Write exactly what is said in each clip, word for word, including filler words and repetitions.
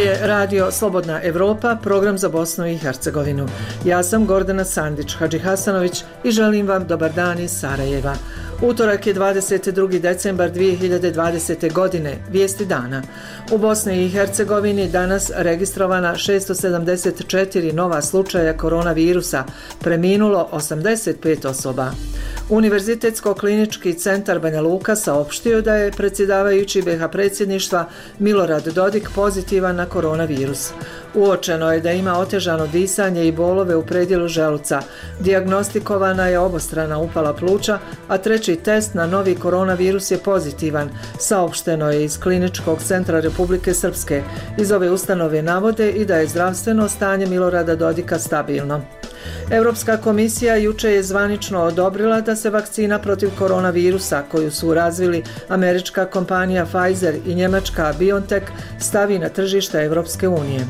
je Radio Slobodna Evropa, program za Bosnu i Hercegovinu. Ja sam Gordana Sandić Hadžihasanović i želim vam dobar dan iz Sarajeva. Utorak je dvadeset drugi decembar dvije hiljade dvadesete. godine, vijesti dana. U Bosni i Hercegovini danas registrovana šesto sedamdeset četiri nova slučaja koronavirusa, preminulo osamdeset pet osoba. Univerzitetsko-klinički centar Banja Luka saopštio da je predsjedavajući be ha predsjedništva Milorad Dodik pozitivan na koronavirus. Uočeno je da ima otežano disanje i bolove u predjelu želuca. Dijagnostikovana je obostrana upala pluća, a treći test na novi koronavirus je pozitivan, saopšteno je iz Kliničkog centra Republike Srpske. Iz ove ustanove navode i da je zdravstveno stanje Milorada Dodika stabilno. Europska komisija juče je zvanično odobrila da se vakcina protiv koronavirusa koju su razvili američka kompanija Pfizer i njemačka BioNTech stavi na tržište Europske unije.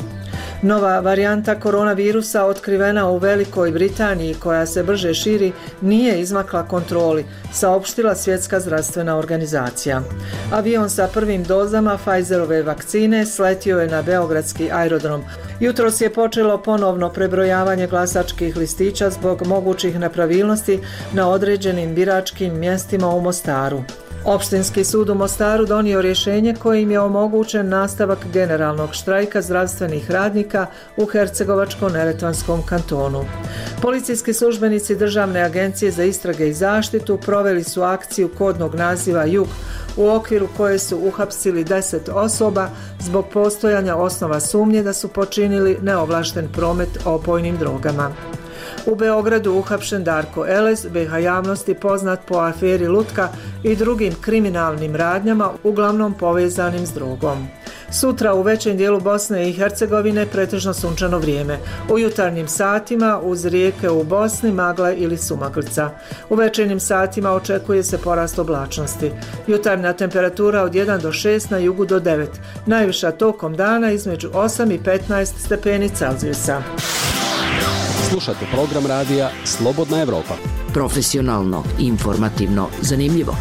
Nova varijanta koronavirusa otkrivena u Velikoj Britaniji koja se brže širi nije izmakla kontroli, saopštila Svjetska zdravstvena organizacija. Avion sa prvim dozama Pfizerove vakcine sletio je na beogradski aerodrom. Jutros je počelo ponovno prebrojavanje glasačkih listića zbog mogućih nepravilnosti na određenim biračkim mjestima u Mostaru. Opštinski sud u Mostaru donio rješenje kojim je omogućen nastavak generalnog štrajka zdravstvenih radnika u Hercegovačko-neretvanskom kantonu. Policijski službenici Državne agencije za istrage i zaštitu proveli su akciju kodnog naziva Jug, u okviru koje su uhapsili deset osoba zbog postojanja osnova sumnje da su počinili neovlašten promet opojnim drogama. U Beogradu uhapšen Darko Elez, be ha javnosti poznat po aferi Lutka i drugim kriminalnim radnjama, uglavnom povezanim s drogom. Sutra u većem dijelu Bosne i Hercegovine pretežno sunčano vrijeme. U jutarnjim satima uz rijeke u Bosni magla ili sumaglica. U večernjim satima očekuje se porast oblačnosti. Jutarnja temperatura od jedan do šest, na jugu do devet. Najviša tokom dana između osam i petnaest stepeni Celzijusa. Slušate program radija Slobodna Evropa. Profesionalno, informativno, zanimljivo.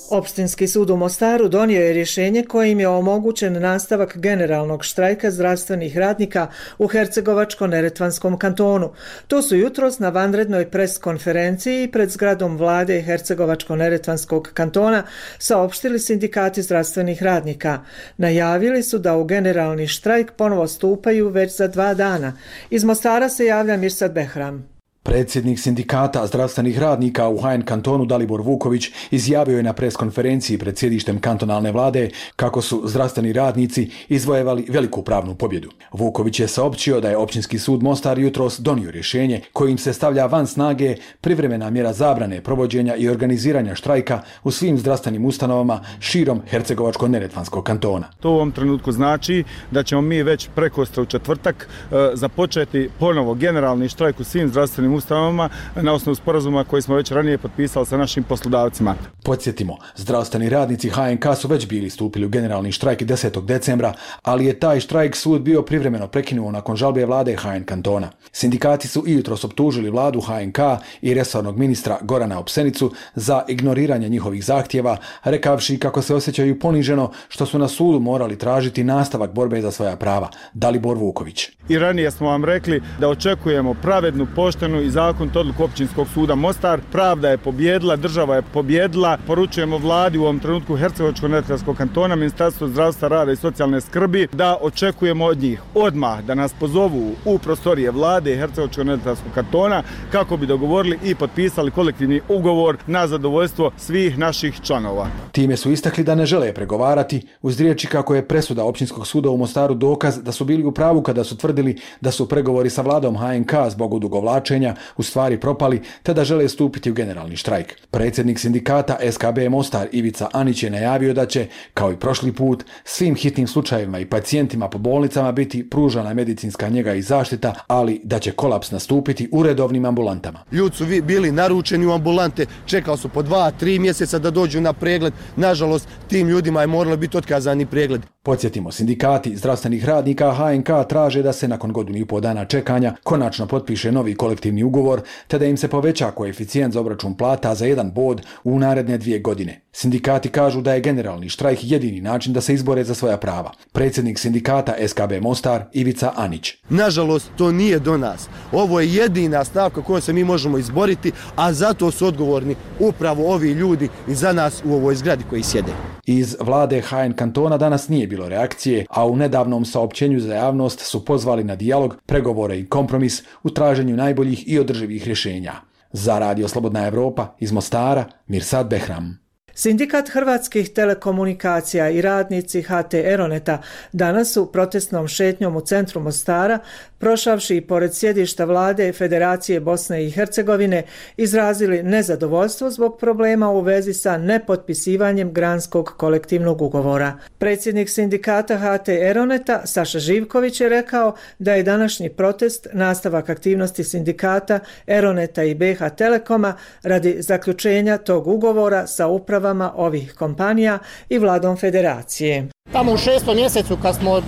Opštinski sud u Mostaru donio je rješenje kojim je omogućen nastavak generalnog štrajka zdravstvenih radnika u Hercegovačko-neretvanskom kantonu. To su jutros na vanrednoj pres konferenciji pred zgradom vlade Hercegovačko-neretvanskog kantona saopštili sindikati zdravstvenih radnika. Najavili su da u generalni štrajk ponovo stupaju već za dva dana. Iz Mostara se javlja Mirsad Behram. Predsjednik sindikata zdravstvenih radnika u ha en kantonu Dalibor Vuković izjavio je na preskonferenciji pred sjedištem kantonalne vlade kako su zdravstveni radnici izvojevali veliku pravnu pobjedu. Vuković je saopćio da je Općinski sud Mostar jutros donio rješenje kojim se stavlja van snage privremena mjera zabrane provođenja i organiziranja štrajka u svim zdravstvenim ustanovama širom Hercegovačko-neretvanskog kantona. To u ovom trenutku znači da ćemo mi već prekostra u četvrtak e, započeti ponovo generalni štrajk u svim zdravstvenim ustanovama na osnovu sporazuma koji smo već ranije potpisali sa našim poslodavcima. Podsjetimo, zdravstveni radnici ha en ka su već bili stupili u generalni štrajk desetog decembra, ali je taj štrajk sud bio privremeno prekinuo nakon žalbe vlade ha en kantona. Sindikati su i jutros optužili vladu ha en ka i resornog ministra Gorana Opsenicu za ignoriranje njihovih zahtjeva, rekavši kako se osjećaju poniženo što su na sudu morali tražiti nastavak borbe za svoja prava. Dalibor Vuković. I ranije smo vam rekli da očekujemo pravednu, poštenu i zakonitu odluku Općinskog suda Mostar. Pravda je pobjedila, država je pobjedila. Poručujemo vladi u ovom trenutku Hercegovačko-neretvanskog kantona, Ministarstvo zdravstva, rada i socijalne skrbi da očekujemo od njih odmah da nas pozovu u prostorije vlade Hercegovačko-neretvanskog kantona kako bi dogovorili i potpisali kolektivni ugovor na zadovoljstvo svih naših članova. Time su istakli da ne žele pregovarati uz riječi kako je presuda Općinskog suda u Mostaru dokaz da su bili u pravu kada su tvrdili da su pregovori sa vladom ha en ka zbog odugovlačenja u stvari propali te da žele stupiti u generalni štrajk. Predsjednik sindikata es ka be Mostar Ivica Anić je najavio da će, kao i prošli put, svim hitnim slučajevima i pacijentima po bolnicama biti pružana medicinska njega i zaštita, ali da će kolaps nastupiti u redovnim ambulantama. Ljudi su bili naručeni u ambulante, čekali su po dva, tri mjeseca da dođu na pregled. Nažalost, tim ljudima je moralo biti otkazani pregled. Podsjetimo, sindikati zdravstvenih radnika ha en ka traže da se nakon godinu i pol dana čekanja konačno potpiše novi kolektivni ugovor te da im se poveća koeficijent za obračun plata za jedan bod u naredne dvije godine. Sindikati kažu da je generalni štrajk jedini način da se izbore za svoja prava. Predsjednik sindikata S K B Mostar Ivica Anić. Nažalost, to nije do nas. Ovo je jedina stavka kojom se mi možemo izboriti, a zato su odgovorni upravo ovi ljudi i za nas u ovoj zgradi koji sjede. Iz vlade H N kantona danas nije bilo reakcije, a u nedavnom saopćenju za javnost su pozvali na dijalog, pregovore i kompromis u traženju najboljih i održivih rješenja. Za Radio Slobodna Evropa iz Mostara, Mirsad Behram. Sindikat hrvatskih telekomunikacija i radnici H T Eroneta danas su protestnom šetnjom u centru Mostara, prošavši pored sjedišta vlade Federacije Bosne i Hercegovine, izrazili nezadovoljstvo zbog problema u vezi sa nepotpisivanjem granskog kolektivnog ugovora. Predsjednik sindikata H T Eroneta Saša Živković je rekao da je današnji protest nastavak aktivnosti sindikata Eroneta i B H Telekoma radi zaključenja tog ugovora sa upravom ovih kompanija i vladom federacije. Tamo u šestom mjesecu kad smo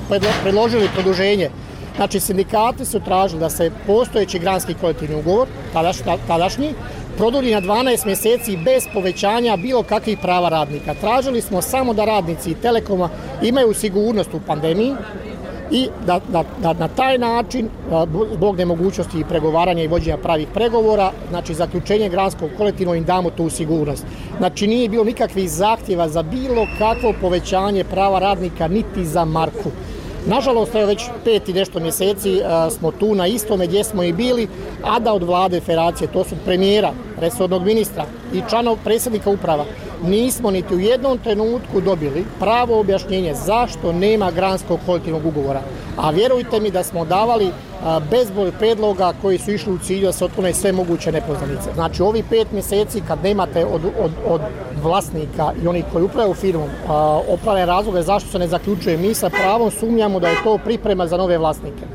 predložili produženje, znači sindikati su tražili da se postojeći granski kolektivni ugovor, tadašnji, produlji na dvanaest mjeseci bez povećanja bilo kakvih prava radnika. Tražili smo samo da radnici Telekoma imaju sigurnost u pandemiji i da, da, da na taj način, zbog nemogućnosti pregovaranja i vođenja pravih pregovora, znači zaključenje granskog kolektivnog im damo tu sigurnost. Znači nije bilo nikakvih zahtjeva za bilo kakvo povećanje prava radnika niti za marku. Nažalost, evo već pet i nešto mjeseci a, smo tu na istome gdje smo i bili, a da od vlade federacije, to su premijera, resornog ministra i članov predsjednika uprava, nismo niti u jednom trenutku dobili pravo objašnjenje zašto nema granskog kolektivnog ugovora. A vjerujte mi da smo davali a, bezbroj predloga koji su išli u cilju da se otklone sve moguće nepoznanice. Znači, ovi pet mjeseci kad nemate od, od, od vlasnika i onih koji upravljaju firmom opravdane razloge zašto se ne zaključuje, mi sa pravom sumnjamo da je to priprema za nove vlasnike.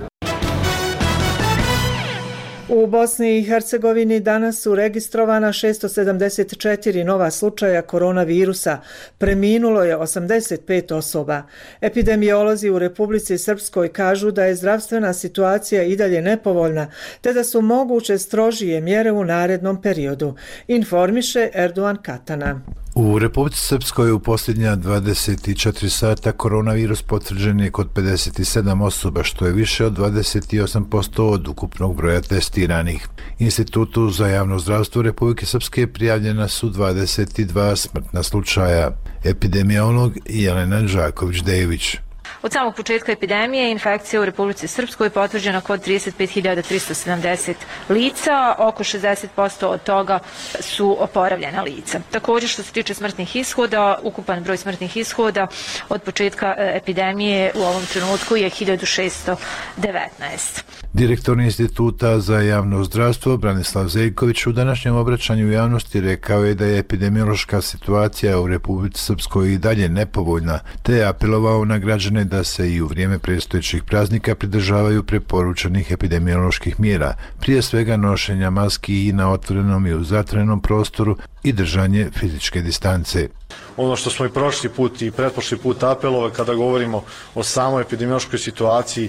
U Bosni i Hercegovini danas su registrovana šesto sedamdeset četiri nova slučaja koronavirusa. Preminulo je osamdeset pet osoba. Epidemiolozi u Republici Srpskoj kažu da je zdravstvena situacija i dalje nepovoljna, te da su moguće strožije mjere u narednom periodu, informiše Erdogan Katana. U Republici Srpskoj u posljednja dvadeset četiri sata koronavirus potvrđen je kod pedeset sedam osoba, što je više od dvadeset osam posto od ukupnog broja testiranih. Institutu za javno zdravstvo Republike Srpske prijavljena su dvadeset dva smrtna slučaja. Epidemiolog Jelena Đaković-Dejević. Od samog početka epidemije infekcija u Republici Srpskoj potvrđena kod trideset pet hiljada tristo sedamdeset lica, oko šezdeset posto od toga su oporavljena lica. Također što se tiče smrtnih ishoda, ukupan broj smrtnih ishoda od početka epidemije u ovom trenutku je hiljadu šesto devetnaest. Direktor Instituta za javno zdravstvo Branislav Zeljković u današnjem obraćanju u javnosti rekao je da je epidemiološka situacija u Republici Srpskoj i dalje nepovoljna, te je apelovao na građane da se i u vrijeme predstojećih praznika pridržavaju preporučenih epidemioloških mjera, prije svega nošenja maski i na otvorenom i u zatvorenom prostoru i držanje fizičke distance. Ono što smo i prošli put i pretprošli put apelovali kada govorimo o samoj epidemiološkoj situaciji,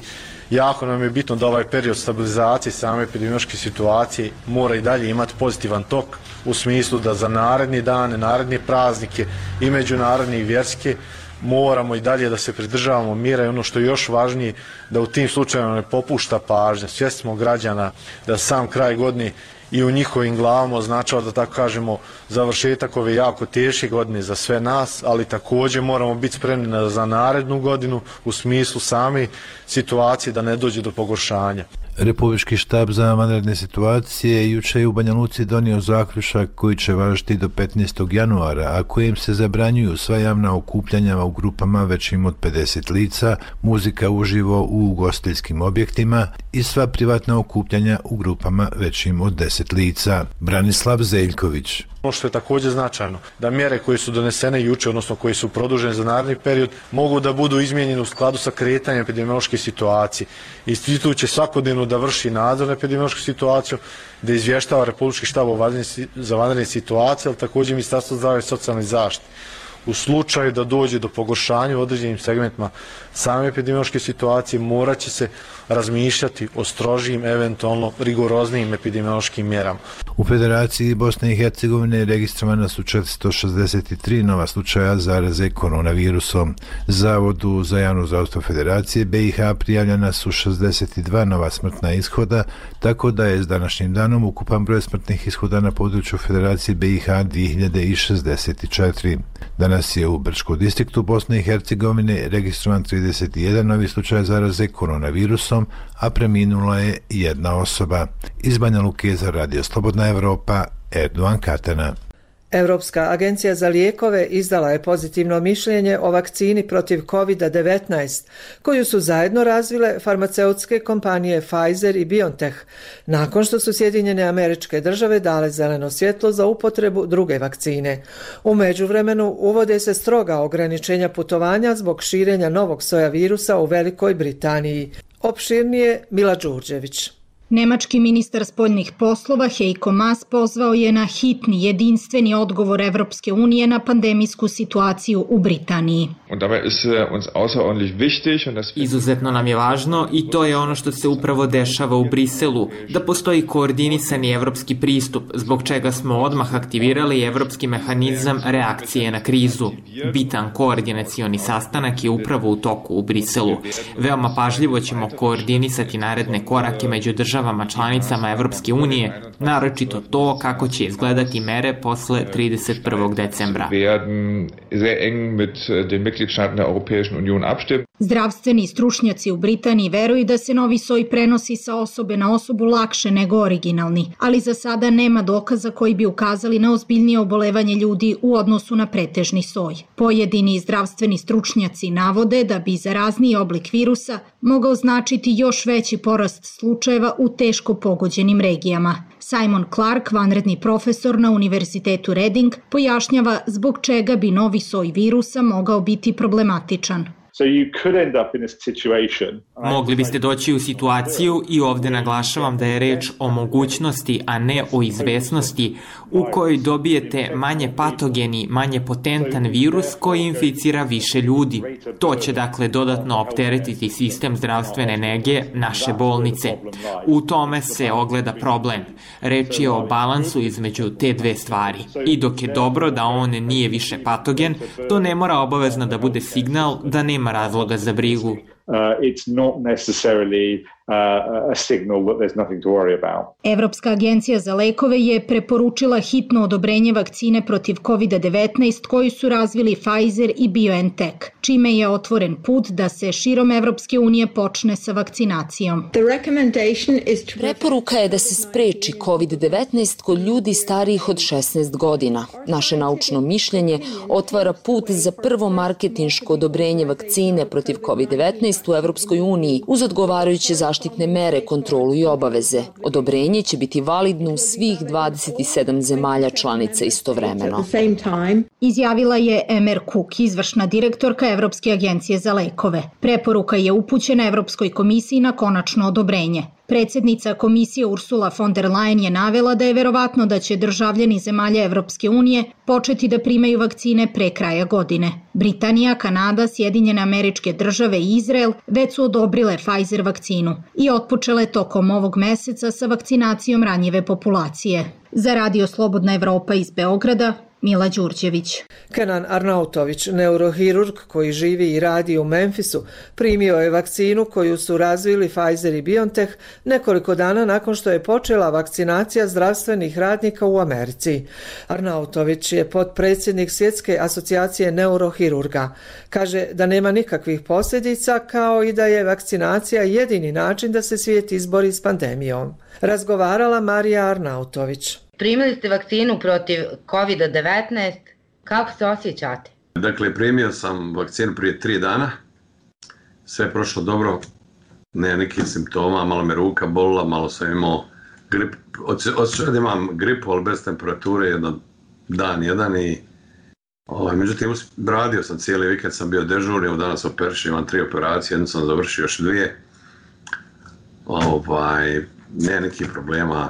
jako nam je bitno da ovaj period stabilizacije same epidemiološke situacije mora i dalje imati pozitivan tok u smislu da za naredni dane, naredne praznike i međunarodne i vjerske moramo i dalje da se pridržavamo mjera i ono što je još važnije da u tim slučajevima ne popušta pažnja. Svjesni smo građana da sam kraj godine i u njihovim glavama označava, da tako kažemo, završetak ove jako teške godine za sve nas, ali također moramo biti spremni za narednu godinu u smislu same situacije da ne dođe do pogoršanja. Republički štab za vanredne situacije juče je u Banja Luci donio zaključak koji će važiti do petnaestog januara, a kojim se zabranjuju sva javna okupljanja u grupama većim od pedeset lica, muzika uživo u ugostiteljskim objektima i sva privatna okupljanja u grupama većim od deset lica. Branislav Zeljković. Ono što je također značajno, da mjere koje su donesene juče, odnosno koje su produžene za naredni period, mogu da budu izmijenjene u skladu sa kretanjem epidemiološke situacije. Institut će svakodnevno da vrši nadzor na epidemiološku situaciju, da izvještava Republički štab za vanredne situacije, ali također Ministarstvo zdravlja i socijalne zaštite. u slučaju da dođe do pogoršanja u određenim segmentima same epidemiološke situacije, morat će se razmišljati o strožijim, eventualno rigoroznijim epidemiološkim mjerama. U Federaciji Bosne i Hercegovine registrovana su četiristo šezdeset tri nova slučaja zaraze koronavirusom. Zavodu za javno zdravstvo Federacije B i H prijavljena su šezdeset dva nova smrtna ishoda, tako da je s današnjim danom ukupan broj smrtnih ishoda na području Federacije B i H dvije hiljade šezdeset četiri. Danas je u Brčkom distriktu Bosne i Hercegovine registrovan trideset jedan novi slučaj zaraze koronavirusom, a preminula je jedna osoba. Iz Banja Luke za Radio Slobodna Evropa, Erdogan Katana. Europska agencija za lijekove izdala je pozitivno mišljenje o vakcini protiv kovid devetnaest, koju su zajedno razvile farmaceutske kompanije Pfizer i BioNTech, nakon što su Sjedinjene Američke Države dale zeleno svjetlo za upotrebu druge vakcine. U međuvremenu uvode se stroga ograničenja putovanja zbog širenja novog soja virusa u Velikoj Britaniji. Opširnije Mila Đurđević. Nemački ministar spoljnih poslova Heiko Maas pozvao je na hitni, jedinstveni odgovor Evropske unije na pandemijsku situaciju u Britaniji. Izuzetno nam je važno i to je ono što se upravo dešava u Briselu, da postoji koordinisani evropski pristup, zbog čega smo odmah aktivirali evropski mehanizam reakcije na krizu. Bitan koordinacioni sastanak je upravo u toku u Briselu. Veoma pažljivo ćemo koordinisati naredne korake među državama članicama Evropske unije, naročito to kako će izgledati mere posle trideset prvog decembra. Zdravstveni stručnjaci u Britaniji veruju da se novi soj prenosi sa osobe na osobu lakše nego originalni, ali za sada nema dokaza koji bi ukazali na ozbiljnije obolevanje ljudi u odnosu na pretežni soj. Pojedini zdravstveni stručnjaci navode da bi zarazniji oblik virusa mogao značiti još veći porast slučajeva u teško pogođenim regijama. Simon Clark, vanredni profesor na Univerzitetu Reading, pojašnjava zbog čega bi novi soj virusa mogao biti problematičan. Mogli biste doći u situaciju, i ovdje naglašavam da je reč o mogućnosti, a ne o izvesnosti, u kojoj dobijete manje patogeni, manje potentan virus koji inficira više ljudi. To će dakle dodatno opteretiti sistem zdravstvene nege naše bolnice. U tome se ogleda problem. Reč je o balansu između te dve stvari. I dok je dobro da on nije više patogen, to ne mora obavezno da bude signal da nema razloga za brigu. Uh, it's not necessarily uh, a signal that there's nothing to worry about. Evropska agencija za lekove je preporučila hitno odobrenje vakcine protiv kovid devetnaest koju su razvili Pfizer i BioNTech, čime je otvoren put da se širom Evropske unije počne sa vakcinacijom. Preporuka je da se spreči kovid devetnaest kod ljudi starijih od šesnaest godina. Naše naučno mišljenje otvara put za prvo marketinško odobrenje vakcine protiv kovid devetnaest u Evropskoj uniji uz odgovarajuće zaštitne mere, kontrolu i obaveze. Odobrenje će biti validno u svih dvadeset sedam zemalja članica istovremeno. Izjavila je Emer Cook, izvršna direktorka Evropske agencije za lekove. Preporuka je upućena Evropskoj komisiji na konačno odobrenje. Predsjednica komisije Ursula von der Leyen je navela da je verovatno da će državljani zemalja Evropske unije početi da primaju vakcine pre kraja godine. Britanija, Kanada, Sjedinjene Američke Države i Izrael već su odobrile Pfizer vakcinu i otpočele tokom ovog meseca sa vakcinacijom ranjive populacije. Za Radio Slobodna Evropa iz Beograda, Mila Đurđević. Kenan Arnautović, neurohirurg koji živi i radi u Memphisu, primio je vakcinu koju su razvili Pfizer i BioNTech nekoliko dana nakon što je počela vakcinacija zdravstvenih radnika u Americi. Arnautović je potpredsjednik Svjetske asocijacije neurohirurga. Kaže da nema nikakvih posljedica, kao i da je vakcinacija jedini način da se svijet izbori s pandemijom. Razgovarala Marija Arnautović. Primili ste vakcinu protiv kovid devetnaest, kako se osjećate? Dakle, primio sam vakcinu prije tri dana, sve je prošlo dobro, nema nekih simptoma, malo me ruka bolila, malo sam imao grip, osjećao da imam gripu, ali bez temperature, jedan dan, jedan i ovaj, međutim, radio sam cijeli vikend, sam bio dežurni, evo danas operišem, imam tri operacije, jednu sam završio, još dvije, ovaj, nema nekih problema.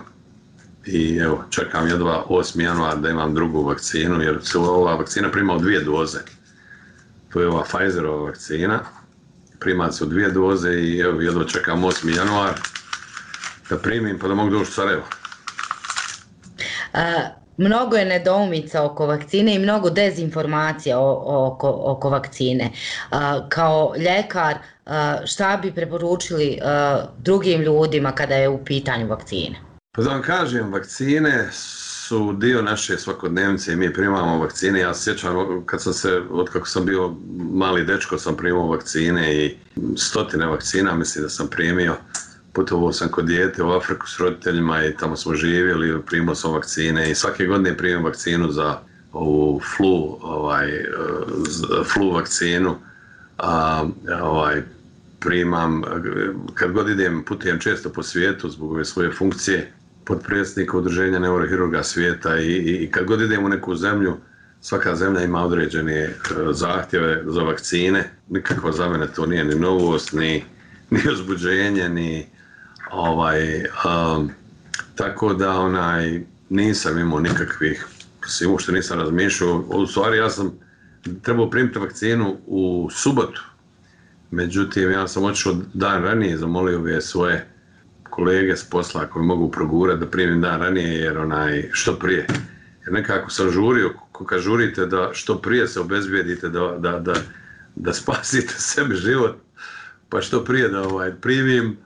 i evo, čekam jedva osmi januar da imam drugu vakcinu, jer se ova vakcina prima u dvije doze. To je ova Pfizerova vakcina, prima se u dvije doze i evo, jedva čekam osmi januar da primim pa da mogu doći u Sarajevo. A, mnogo je nedoumica oko vakcine i mnogo dezinformacija oko, oko vakcine. A, kao ljekar, a, šta bi preporučili a, drugim ljudima kada je u pitanju vakcine? Pa da vam kažem, vakcine su dio naše svakodnevnice i mi primamo vakcine. Ja se sjećam kad sam se, od kako sam bio mali dečko, sam primao vakcine i stotine vakcina, mislim da sam primio. Putovao sam kod dijete u Afriku s roditeljima i tamo smo živjeli, primao sam vakcine i svake godine primam vakcinu za ovu flu, ovaj, flu vakcinu. A, ovaj, primam, kad god idem, putujem često po svijetu zbog ove svoje funkcije, potpredsjednika udruženja neurohirurga svijeta i, i kad god idem u neku zemlju, svaka zemlja ima određene zahtjeve za vakcine. Nikako za mene to nije ni novost, ni, ni uzbuđenje, ni ovaj, um, tako da onaj, nisam imao nikakvih, svim što nisam razmišljao. U stvari ja sam trebao primiti vakcinu u subotu, međutim ja sam otišao dan ranije, zamolio ove svoje kolege s posla koji mogu progurati da primim dan ranije jer onaj, što prije. Jer nekako sam žurio, kad žurite da što prije se obezbijedite da, da, da, da spasite sebi život, pa što prije da ovaj, primim,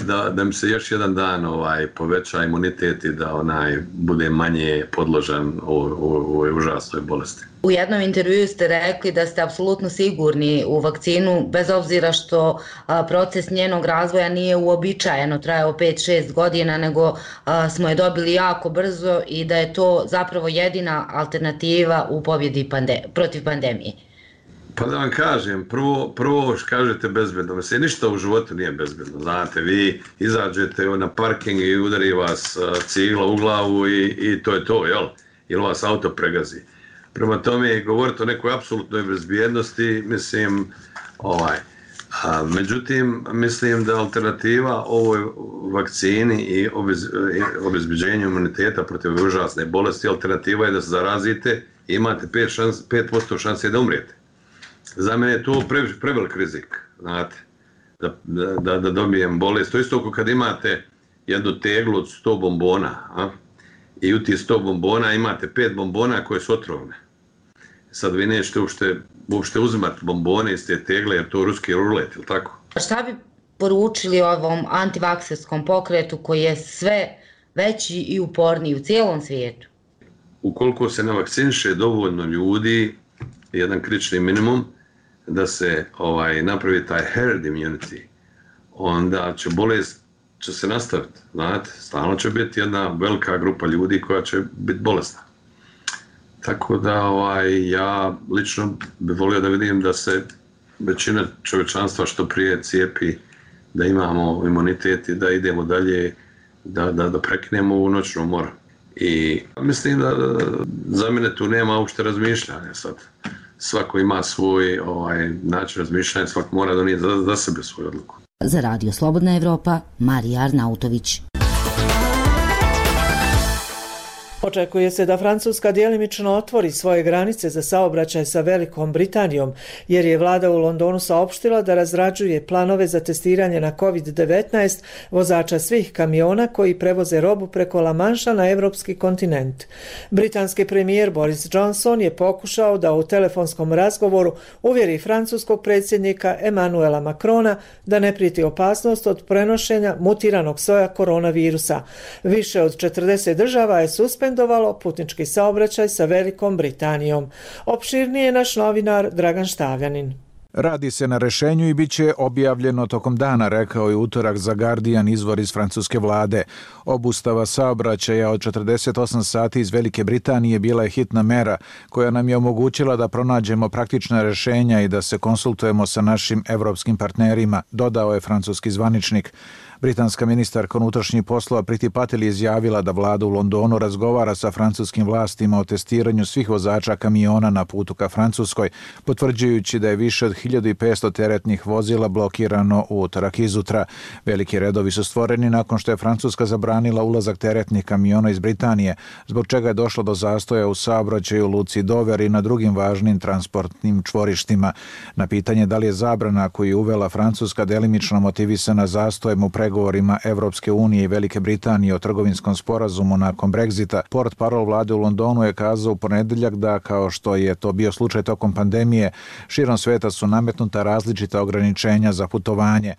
da, da mi se još jedan dan ovaj, poveća imunitet i da onaj, bude manje podložan ovoj užasnoj bolesti. U jednom intervjuu ste rekli da ste apsolutno sigurni u vakcinu, bez obzira što a, proces njenog razvoja nije uobičajeno, trajao pet šest godina, nego a, smo je dobili jako brzo i da je to zapravo jedina alternativa u pobjedi pande, protiv pandemije. Pa da vam kažem, prvo, prvo kažete bezbedno, mislim, ništa u životu nije bezbedno, znate, vi izađete na parking i udari vas cigla u glavu i, i to je to, jel? Ili vas auto pregazi. Prema tome, govoriti o nekoj apsolutnoj bezbjednosti, mislim, ovaj, a, međutim, mislim da alternativa ovoj vakcini i obez, obezbeđenju imuniteta protiv užasne bolesti, alternativa je da se zarazite i imate pet posto šanse da umrijete. Za mene je to pre, prevelik rizik, znate, da, da, da dobijem bolest. To isto ako kad imate jednu teglu od sto bombona, a? I u tih sto bombona imate pet bombona koje su otrovne. Sad vi nećete uopšte, uopšte uzimati bombone iz te tegle jer to je ruski rulet, ili tako? Šta bi poručili ovom antivakserskom pokretu koji je sve veći i uporniji u cijelom svijetu? Ukoliko se ne vakciniše dovoljno ljudi, jedan kritični minimum, da se ovaj, napravi taj herd immunity, onda će bolest će se nastaviti, znate, stalno će biti jedna velika grupa ljudi koja će biti bolesna. Tako da ovaj, ja lično bih volio da vidim da se većina čovječanstva što prije cijepi, da imamo imunitet i da idemo dalje, da, da, da prekinemo ovu noćnu moru. I mislim da za mene tu nema uopšte razmišljanja sad. Svako ima svoj ovaj, način razmišljanja, svako mora donijeti za, za sebe svoju odluku. Za Radio Slobodna Evropa, Marija Arnautović. Očekuje se da Francuska djelimično otvori svoje granice za saobraćaj sa Velikom Britanijom, jer je vlada u Londonu saopštila da razrađuje planove za testiranje na kovid devetnaest vozača svih kamiona koji prevoze robu preko La Manša na evropski kontinent. Britanski premijer Boris Johnson je pokušao da u telefonskom razgovoru uvjeri francuskog predsjednika Emmanuela Macrona da ne prijeti opasnost od prenošenja mutiranog soja koronavirusa. Više od četrdeset država je suspendovalo putnički saobraćaj sa Velikom Britanijom. Opširnije je naš novinar Dragan Štavljanin. Radi se na rešenju i bit će objavljeno tokom dana, rekao je utorak za Guardian izvor iz francuske vlade. Obustava saobraćaja od četrdeset osam sati iz Velike Britanije bila je hitna mera koja nam je omogućila da pronađemo praktična rešenja i da se konsultujemo sa našim evropskim partnerima, dodao je francuski zvaničnik. Britanska ministarka unutrašnjih poslova Priti Patel je izjavila da vlada u Londonu razgovara sa francuskim vlastima o testiranju svih vozača kamiona na putu ka Francuskoj, potvrđujući da je više od hiljadu petsto teretnih vozila blokirano u utorak izutra. Veliki redovi su stvoreni nakon što je Francuska zabranila ulazak teretnih kamiona iz Britanije, zbog čega je došlo do zastoja u saobraćaju u luci Dover i na drugim važnim transportnim čvorištima. Na pitanje da li je zabrana koju je uvela Francuska delimično motivisana zastojem u pregovorima Evropske unije i Velike Britanije o trgovinskom sporazumu nakon Brexita, portparol vlade u Londonu je kazao u ponedeljak da, kao što je to bio slučaj tokom pandemije, širom sveta su nametnuta različita ograničenja za putovanje.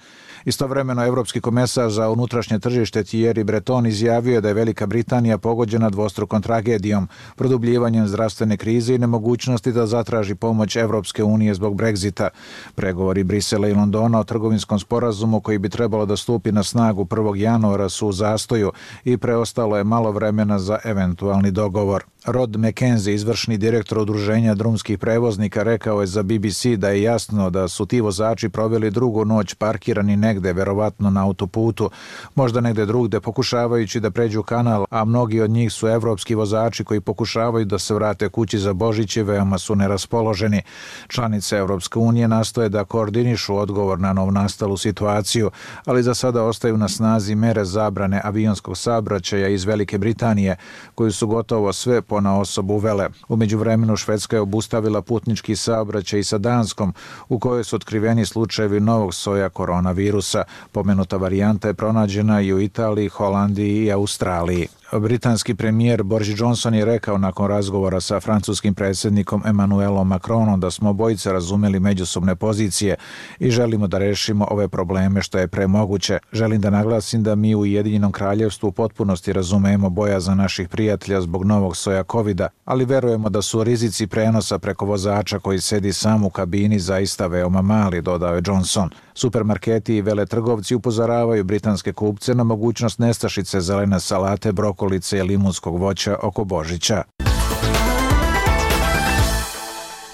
Istovremeno, Evropski komesar za unutrašnje tržište Thierry Breton izjavio da je Velika Britanija pogođena dvostrukom tragedijom, produbljivanjem zdravstvene krize i nemogućnosti da zatraži pomoć Evropske unije zbog Brexita. Pregovori Brisela i Londona o trgovinskom sporazumu koji bi trebalo da stupi na snagu prvog januara su u zastoju i preostalo je malo vremena za eventualni dogovor. Rod McKenzie, izvršni direktor udruženja drumskih prevoznika, rekao je za B B C da je jasno da su ti vozači proveli drugu noć parkirani negde, verovatno na autoputu, možda negde drugde, pokušavajući da pređu kanal, a mnogi od njih su evropski vozači koji pokušavaju da se vrate kući za Božić i veoma su neraspoloženi. Članice Evropske unije nastoje da koordinišu odgovor na novnastalu situaciju, ali za sada ostaju na snazi mere zabrane avionskog saobraćaja iz Velike Britanije, koju su gotovo sve ponaosob uvele. U međuvremenu Švedska je obustavila putnički saobraćaj sa Danskom, u kojoj su otkriveni slučajevi novog soja koronavirusa. Pomenuta varijanta je pronađena i u Italiji, Holandiji i Australiji. Britanski premijer Boris Johnson je rekao nakon razgovora sa francuskim predsjednikom Emmanuelom Macronom da smo obojice razumeli međusobne pozicije i želimo da rešimo ove probleme što je pre moguće. Želim da naglasim da mi u Ujedinjenom kraljevstvu u potpunosti razumemo bojazan naših prijatelja zbog novog soja kovida, ali verujemo da su rizici prenosa preko vozača koji sedi sam u kabini zaista veoma mali, dodao je Johnson. Supermarketi i veletrgovci upozoravaju britanske kupce na mogućnost nestašice zelene salate, brokolice i limunskog voća oko Božića.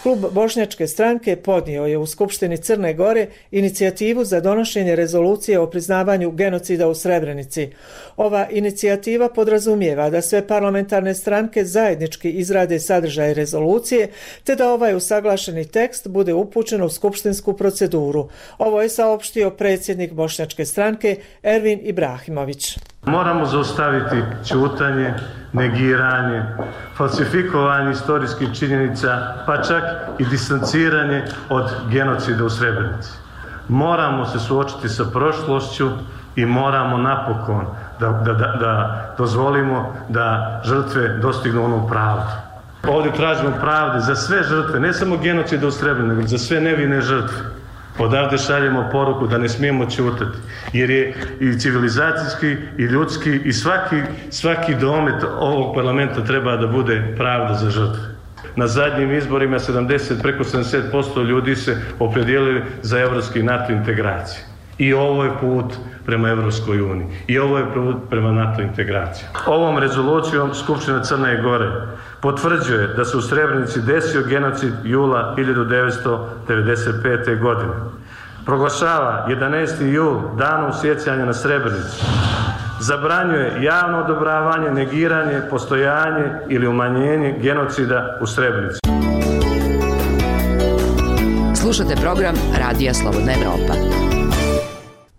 Klub Bošnjačke stranke podnio je u Skupštini Crne Gore inicijativu za donošenje rezolucije o priznavanju genocida u Srebrenici. Ova inicijativa podrazumijeva da sve parlamentarne stranke zajednički izrade sadržaj rezolucije, te da ovaj usaglašeni tekst bude upućen u skupštinsku proceduru. Ovo je saopštio predsjednik Bošnjačke stranke Ervin Ibrahimović. Moramo zaustaviti ćutanje, negiranje, falsifikovanje istorijskih činjenica, pa čak i distanciranje od genocida u Srebrenici. Moramo se suočiti sa prošlošću i moramo napokon da, da, da, da dozvolimo da žrtve dostignu onu pravdu. Ovdje tražimo pravde za sve žrtve, ne samo genocida u Srebrenici, nego za sve nevine žrtve. Odavde šaljemo poruku da ne smijemo ćutati, jer je i civilizacijski, i ljudski, i svaki, svaki domet ovog parlamenta treba da bude pravda za žrtve. Na zadnjim izborima sedamdeset, preko sedamdeset posto ljudi se opredijelili za evropski NATO integracije. I ovo je put prema Evropskoj uniji. I ovo je put prema NATO integraciji. Ovom rezolucijom Skupština Crne Gore potvrđuje da se u Srebrenici desio genocid jula hiljadu devetsto devedeset pete. godine. Proglašava jedanaesti jul danom sjećanja na Srebrenicu. Zabranjuje javno odobravanje, negiranje, postojanje ili umanjenje genocida u Srebrenici. Slušate program Radija Slobodna Evropa.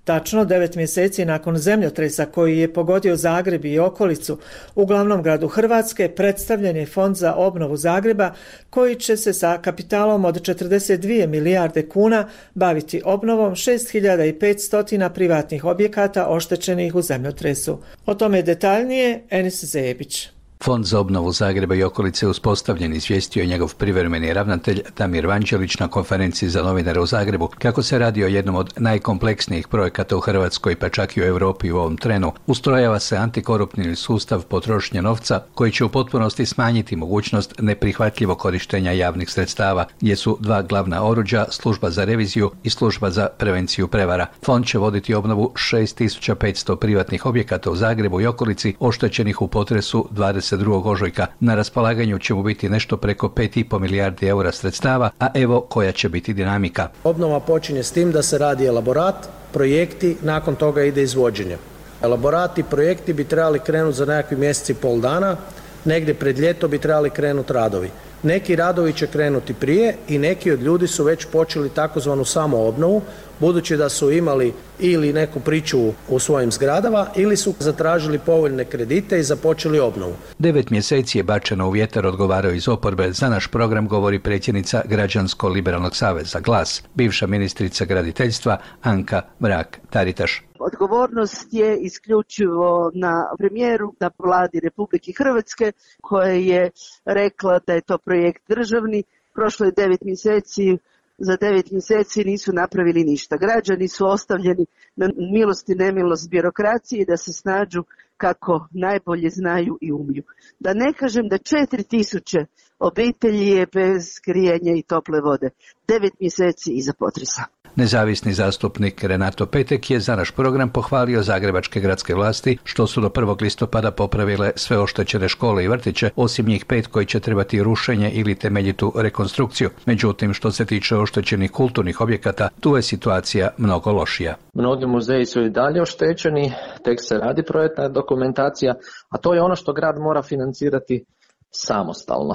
Tačno devet mjeseci nakon zemljotresa koji je pogodio Zagreb i okolicu, u glavnom gradu Hrvatske predstavljen je Fond za obnovu Zagreba koji će se sa kapitalom od četrdeset dvije milijarde kuna baviti obnovom šest hiljada petsto privatnih objekata oštećenih u zemljotresu. O tome detaljnije Enis Zebić. Fond za obnovu Zagreba i okolice uspostavljen, izvijestio je njegov privremeni ravnatelj Damir Vanđelić na konferenciji za novinare u Zagrebu. Kako se radi o jednom od najkompleksnijih projekata u Hrvatskoj, pa čak i u Europi u ovom trenu, ustrojava se antikoruptivni sustav potrošnje novca koji će u potpunosti smanjiti mogućnost neprihvatljivog korištenja javnih sredstava, gdje su dva glavna oruđa, služba za reviziju i služba za prevenciju prevara. Fond će voditi obnovu šest tisuća petsto privatnih objekata u Zagrebu i okolici oštećenih u potresu dvadeset dvadeset drugog ožujka. Na raspolaganju će mu biti nešto preko pet i po milijardi eura sredstava, a evo koja će biti dinamika. Obnova počinje s tim da se radi elaborat, projekti, nakon toga ide izvođenje. Elaborati i projekti bi trebali krenuti za nekakvi mjeseci i pol dana, negdje pred ljeto bi trebali krenuti radovi. Neki radovi će krenuti prije i neki od ljudi su već počeli takozvanu samoobnovu, budući da su imali ili neku priču u svojim zgradama ili su zatražili povoljne kredite i započeli obnovu. Devet mjeseci je bačeno u vjetar, odgovarao iz oporbe. Za naš program govori predsjednica Građansko-liberalnog saveza Glas, bivša ministrica graditeljstva Anka Mrak-Taritaš. Odgovornost je isključivo na premijeru, na vladi Republike Hrvatske koja je rekla da je to projekt državni. Prošlo je devet mjeseci, za devet mjeseci nisu napravili ništa. Građani su ostavljeni na milost i nemilost birokracije da se snađu kako najbolje znaju i umiju. Da ne kažem da četiri tisuće obitelji je bez grijanja i tople vode. Devet mjeseci iza potresa. Nezavisni zastupnik Renato Petek je za naš program pohvalio zagrebačke gradske vlasti što su do prvog listopada popravile sve oštećene škole i vrtiće, osim njih pet koji će trebati rušenje ili temeljitu rekonstrukciju. Međutim, što se tiče oštećenih kulturnih objekata, tu je situacija mnogo lošija. Mnogi muzeji su i dalje oštećeni, tek se radi projektna dokumentacija, a to je ono što grad mora financirati samostalno.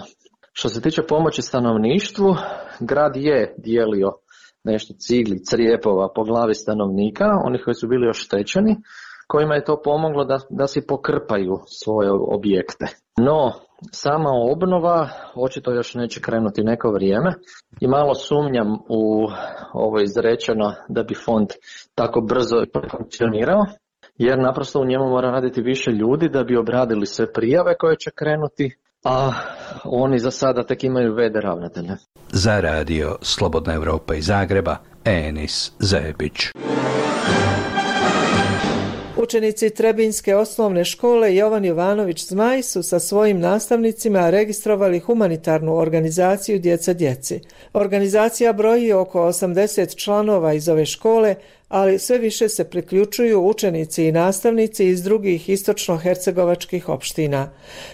Što se tiče pomoći stanovništvu, grad je dijelio nešto cigli, crijepova po glavi stanovnika, onih koji su bili oštećeni, kojima je to pomoglo da, da si pokrpaju svoje objekte. No, sama obnova očito još neće krenuti neko vrijeme i malo sumnjam u ovo izrečeno da bi fond tako brzo funkcionirao, jer naprosto u njemu mora raditi više ljudi da bi obradili sve prijave koje će krenuti, a oni za sada tek imaju v d ravnatelja. Za radio Slobodna Evropa iz Zagreba, Enis Zebić. Učenici Trebinjske osnovne škole Jovan Jovanović Zmaj su sa svojim nastavnicima registrovali humanitarnu organizaciju Djeca djeci. Organizacija broji oko osamdeset članova iz ove škole, ali sve više se priključuju učenici i nastavnici iz drugih istočno-hercegovačkih opština.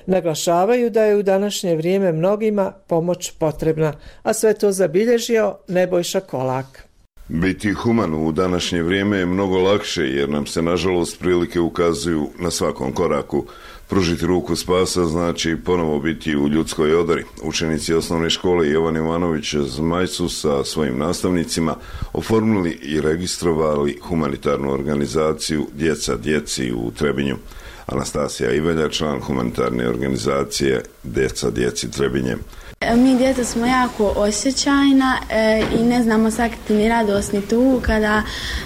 Naglašavaju da je u današnje vrijeme mnogima pomoć potrebna, a sve to zabilježio Nebojša Kolak. Biti human u današnje vrijeme je mnogo lakše jer nam se nažalost prilike ukazuju na svakom koraku. Pružiti ruku spasa znači ponovo biti u ljudskoj odori. Učenici osnovne škole Jovan Jovanović Zmaj su sa svojim nastavnicima oformili i registrovali humanitarnu organizaciju Djeca djeci u Trebinju. Anastasija Ivelja, član humanitarne organizacije Djeca djeci Trebinje. Mi djeca smo jako osjećajna e, i ne znamo sakriti ni radost ni tugu. Kada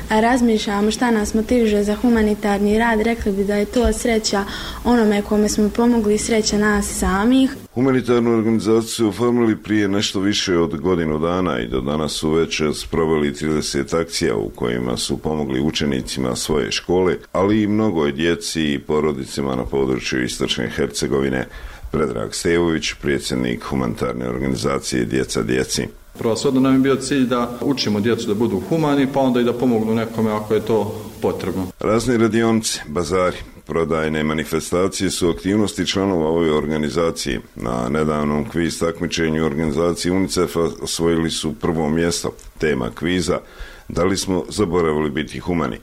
razmišljamo šta nas motiviše za humanitarni rad, rekli bi da je to sreća onome kome smo pomogli, sreća nas samih. Humanitarnu organizaciju su oformili prije nešto više od godinu dana i do danas su već sproveli trideset akcija u kojima su pomogli učenicima svoje škole, ali i mnogoj djeci i porodicima na području Istočne Hercegovine. Predrag Stevović, predsjednik humanitarne organizacije Djeca djeci. Prvenstveno nam je bio cilj da učimo djecu da budu humani, pa onda i da pomognu nekome ako je to potrebno. Razni radionice, bazari, prodajne manifestacije su aktivnosti članova ove organizacije. Na nedavnom kviz takmičenju organizacije UNICEF-a osvojili su prvo mjesto. Tema kviza: da li smo zaboravili biti humani?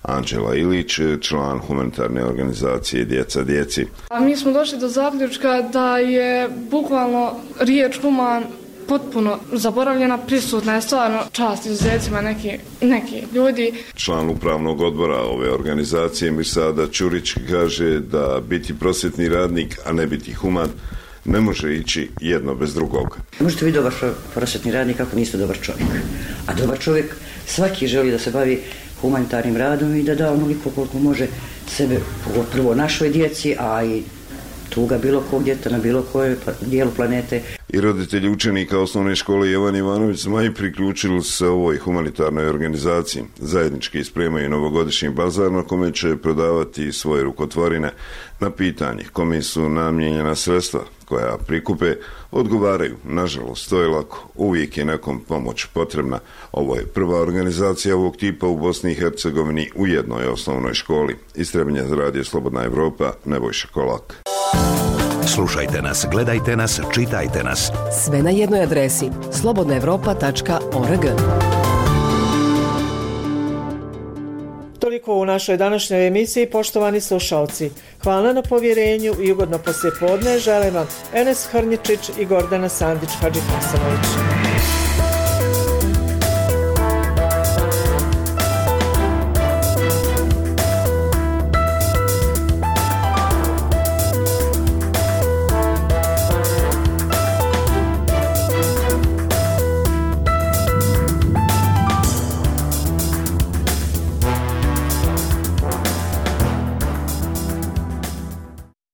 Anđela Ilić, član humanitarne organizacije Djeca djeci. A mi smo došli do zaključka da je bukvalno riječ human potpuno zaboravljena, prisutna je stvarno čast izuzecima neki, neki ljudi. Član upravnog odbora ove organizacije Mirsada Ćurić kaže da biti prosvjetni radnik, a ne biti human, ne može ići jedno bez drugog. Možete biti dobar prosvjetni radnik ako niste dobar čovjek. A dobar čovjek svaki želi da se bavi humanitarnim radom i da da onoliko koliko može sebe, prvo našoj djeci, a i tuga bilo kog djeta na bilo koje dijelu planete. I roditelji učenika osnovne škole Jovan Jovanović Zmaj priključili se ovoj humanitarnoj organizaciji. Zajednički spremaju novogodišnji bazar na kome će prodavati svoje rukotvorine. Na pitanje kome su namijenjena sredstva koja prikupe, odgovaraju: nažalost, to je lako, uvijek je nekom pomoć potrebna. Ovo je prva organizacija ovog tipa u Bosni i Hercegovini u jednoj osnovnoj školi. Iz Trebinja za radio Slobodna Evropa, Nebojša Kolak. Slušajte nas, gledajte nas, čitajte nas. Sve na jednoj adresi slobodna evropa tačka org. Toliko u našoj današnjoj emisiji, poštovani slušalci. Hvala na povjerenju i ugodno poslijepodne želim vam Enes Hrnjičić i Gordana Sandić-Hadžihasanović.